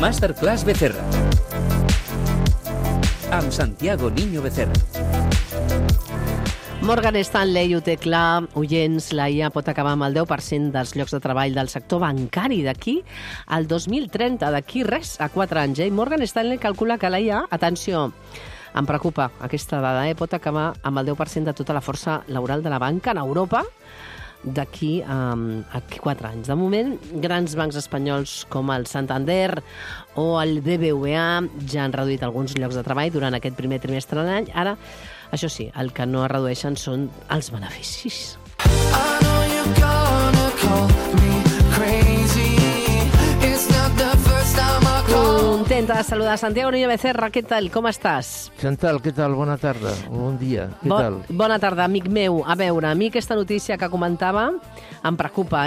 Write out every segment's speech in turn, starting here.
Masterclass Becerra amb Santiago Niño Becerra. Morgan Stanley ho té clar, oients, la IA pot acabar amb el 10% dels llocs de treball del sector bancari d'aquí al 2030, d'aquí res, a 4 anys. Morgan Stanley calcula que la IA, atenció, em preocupa aquesta dada, pot acabar amb el 10% de tota la força laboral de la banca en Europa d'aquí a 4 anys. De moment, grans bancs espanyols com el Santander o el BBVA ja han reduït alguns llocs de treball durant aquest primer trimestre de l'any. Ara, això sí, el que no es redueixen són els beneficis. Contenta de saludar Santiago Niño Becerra. Què tal? Com estàs? Chantal, què tal? Bona tarda. Bon dia. Què tal? Bona tarda, amic meu. A veure, a mi aquesta notícia que comentava em preocupa,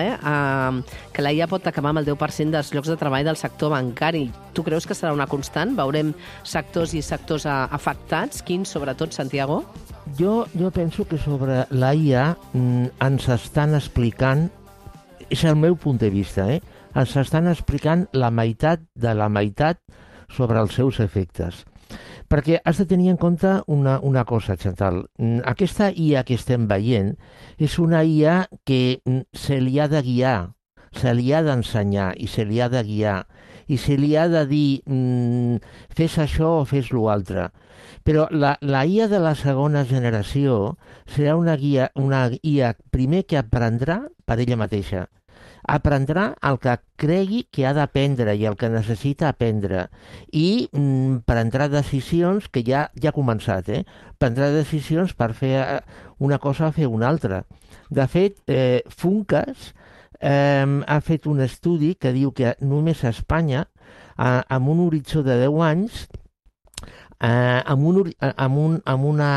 que la IA pot acabar amb el 10% dels llocs de treball del sector bancari. Tu creus que serà una constant? Veurem sectors i sectors afectats? Quins, sobretot, Santiago? Jo penso que sobre la IA ens estan explicant, és el meu punt de vista, ens estan explicant la meitat de la meitat sobre els seus efectes. Perquè has de tenir en compte una cosa, Chantal. Aquesta IA que estem veient és una IA que se li ha de guiar, se li ha d'ensenyar i se li ha de guiar i se li ha de dir fes això o fes l'altre. Però la IA de la segona generació serà una IA primer que aprendrà per ella mateixa. Aprendrà el que cregui que ha d'aprendre i el que necessita aprendre i prendrà decisions que ja ha començat, prendrà decisions per fer una cosa o fer una altra. De fet, Funcas ha fet un estudi que diu que només a Espanya, amb un horitzó de 10 anys, amb una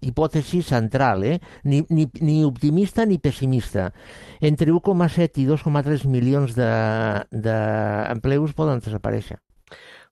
hipòtesi central, ni optimista ni pessimista. Entre 1,7 i 2,3 milions d'empleus poden desaparèixer.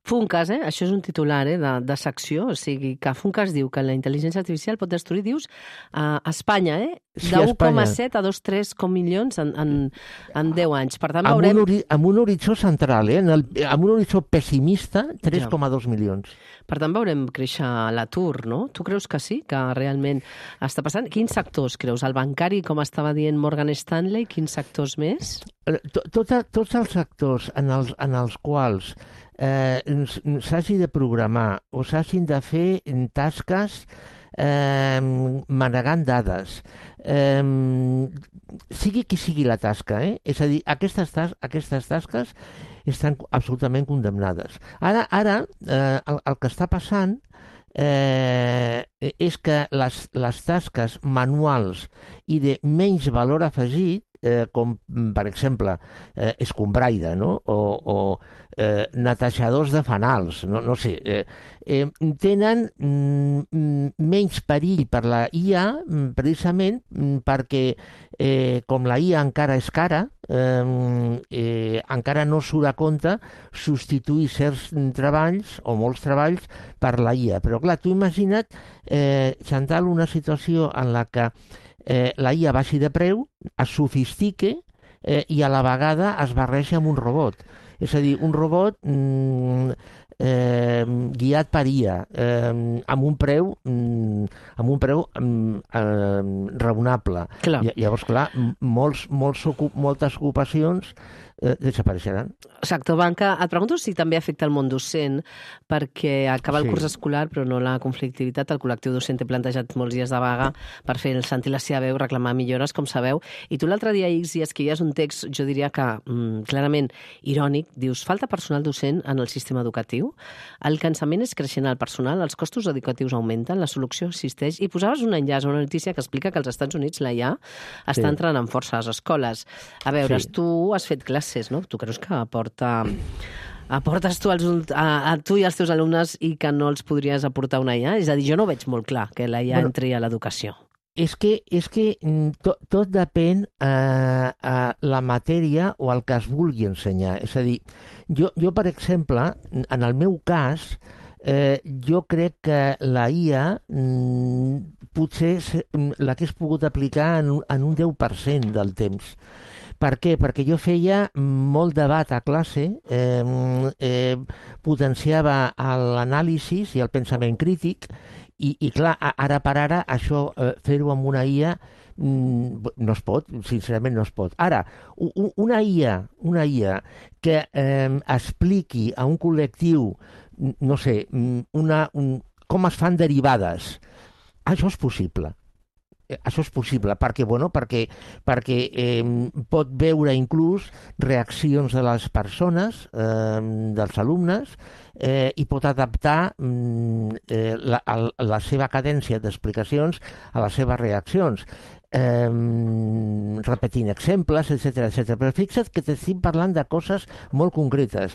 Funcas, això és un titular de secció, o sigui que Funcas diu que la intel·ligència artificial pot destruir, dius, a Espanya, Sí, de 1,7 a 2,3 milions en 10 anys. Per tant, veurem... Amb un horitzó central, amb un horitzó pessimista, 3,2 milions. Per tant, veurem créixer l'atur, no? Tu creus que sí, que realment està passant? Quins sectors creus? El bancari, com estava dient Morgan Stanley, quins sectors més? Tots els sectors en els quals s'hagi de programar o s'hagin de fer tasques manegant dades, sigui qui sigui la tasca, és a dir, aquestes tasques estan absolutament condemnades. Ara el que està passant és que les tasques manuals i de menys valor afegit, com per exemple escombraire, no? O netejadors de fanals, no sé, tenen menys perill per la IA precisament perquè com la IA encara és cara, encara no surt a compte substituir certs treballs o molts treballs per la IA. Però clar, tu imagina't, Chantal, una situació en la que la IA baixi de preu, es sofistique i a la vegada es barreja amb un robot. És a dir, un robot guiat per IA, amb un preu raonable. Llavors, clar, moltes ocupacions desapareixeran. Sector banca, et pregunto si també afecta el món docent, perquè acaba el curs escolar però no la conflictivitat. El col·lectiu docent té plantejat molts dies de vaga per fer sentir la seva veu, reclamar millores, com sabeu. I tu l'altre dia, X, i escrivies un text, jo diria que clarament irònic, dius, falta personal docent en el sistema educatiu, el cansament és creixent al personal, els costos educatius augmenten, la solució existeix, i posaves un enllaç, una notícia que explica que als Estats Units la IA està entrant en força a les escoles. A veure, tu has fet classes, no? Tu creus que aportes tu a tu i als teus alumnes i que no els podries aportar una IA? És a dir, jo no veig molt clar que la IA entri a l'educació. És que tot depèn a la matèria o al que es vulgui ensenyar. És a dir, jo per exemple, en el meu cas, jo crec que la IA potser l'hagués pogut aplicar en un 10% del temps. Per què? Perquè jo feia molt debat a classe, potenciava l'anàlisi i el pensament crític, i clar, ara per ara, això, fer-ho amb una IA, no es pot, sincerament no es pot. Ara, una IA que expliqui a un col·lectiu, no sé, com es fan derivades, això és possible. Això és possible, perquè pot veure inclús reaccions de les persones, dels alumnes, i pot adaptar la seva cadència d'explicacions a les seves reaccions, repetint exemples, etc. Però fixa't que t'estic parlant de coses molt concretes.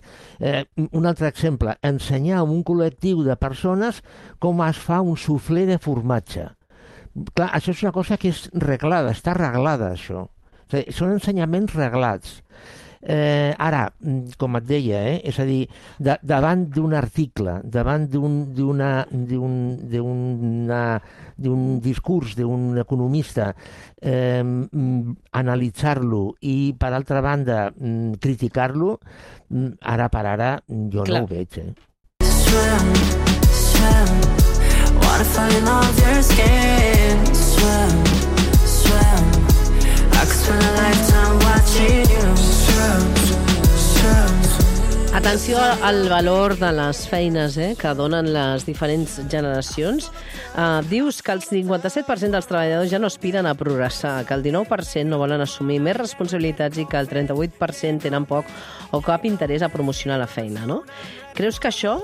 Un altre exemple, ensenyar a un col·lectiu de persones com es fa un suflé de formatge. Clar, això és una cosa que és reglada, està reglada, això. O sigui, són ensenyaments reglats. Ara, com et deia, és a dir, davant d'un article, davant d'un discurs d'un economista, analitzar-lo i, per altra banda, criticar-lo, ara per ara jo no ho veig. Waterfall in all your skin. Swim, swim. I could spend a lifetime watching you. Swim, swim. Atenció al valor de les feines que donen les diferents generacions. Dius que el 57% dels treballadors ja no aspiren a progressar, que el 19% no volen assumir més responsabilitats i que el 38% tenen poc o cap interès a promocionar la feina, no? Creus que això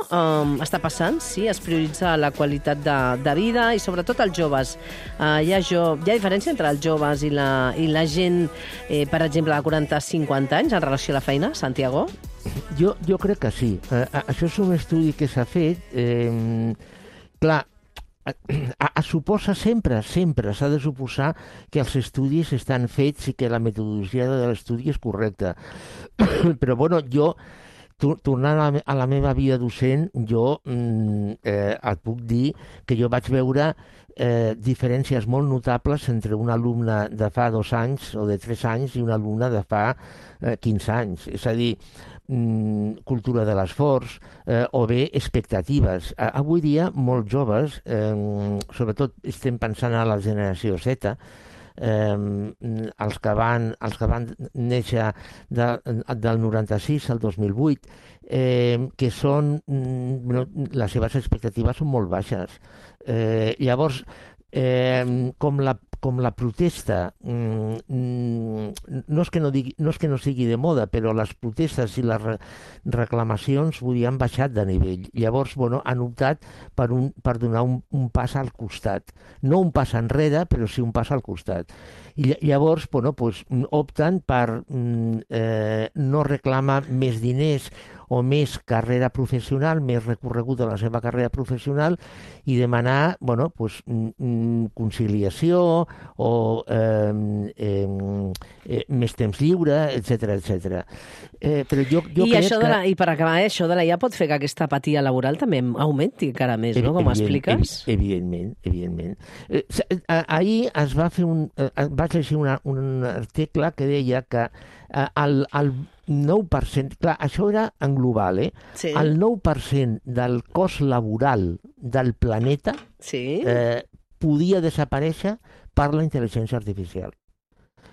està passant? Sí, es prioritza la qualitat de vida i sobretot els joves. Hi ha diferència entre els joves i la gent, per exemple, de 40-50 anys en relació a la feina, Santiago? Jo crec que sí. Això és un estudi que s'ha fet. Clar, suposa sempre s'ha de suposar que els estudis estan fets i que la metodologia de l'estudi és correcta. Però, bueno, jo, tornant a la meva vida docent, jo et puc dir que jo vaig veure diferències molt notables entre un alumne de fa 2 anys o de 3 anys i un alumne de fa 15 anys. És a dir, cultura de l'esforç o bé expectatives. Avui dia, molts joves, sobretot estem pensant a la generació Z, els que van néixer del 96 al 2008, que són, les seves expectatives són molt baixes. Llavors, com la protesta no és que no sigui de moda, però les protestes i les reclamacions han baixat de nivell. Llavors, han optat per donar un pas al costat. No un pas enrere, però sí un pas al costat. I llavors, opten per no reclamar més diners o més carrera professional, més recorregut de la seva carrera professional i demanar conciliació o més temps lliure, etc. Però jo crec que... I per acabar, això de la IA pot fer que aquesta apatia laboral també augmenti encara més, no? Com expliques? Evidentment. Ahir vaig llegir un article que deia que el 9%, clar, això era en global, Sí. El 9% del cost laboral del planeta podia desaparèixer per la intel·ligència artificial.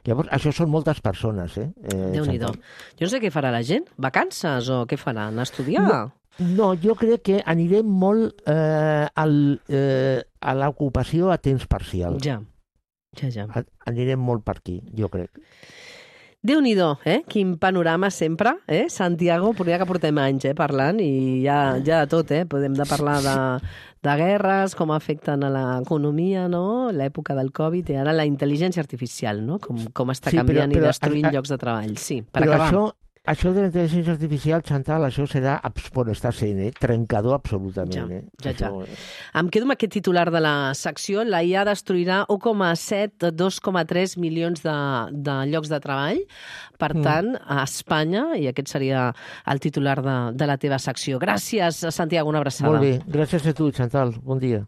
Llavors, això són moltes persones, Déu-n'hi-do. Jo no sé què farà la gent. Vacances o què faran? Estudiar? No, jo crec que anirem molt a l'ocupació a temps parcial. Ja. Anirem molt per aquí, jo crec. Déu-n'hi-do, quin panorama sempre, Santiago, ja que portem anys parlant i ja de tot, podem parlar de guerres, com afecten a l'economia, no? L'època del Covid i ara la intel·ligència artificial, no? Com està canviant i destruint llocs de treball. Sí, per acabar. Això de la intel·ligència artificial, Chantal, això serà, està sent, trencador absolutament. Ja. Em quedo amb aquest titular de la secció. La IA destruirà 1,7-2,3 milions de llocs de treball. Per tant, a Espanya, i aquest seria el titular de la teva secció. Gràcies, Santiago, una abraçada. Molt bé, gràcies a tu, Chantal. Bon dia.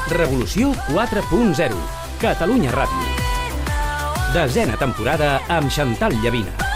Revolució 4.0. Catalunya Ràdio. 10ª temporada amb Xantal Llavina.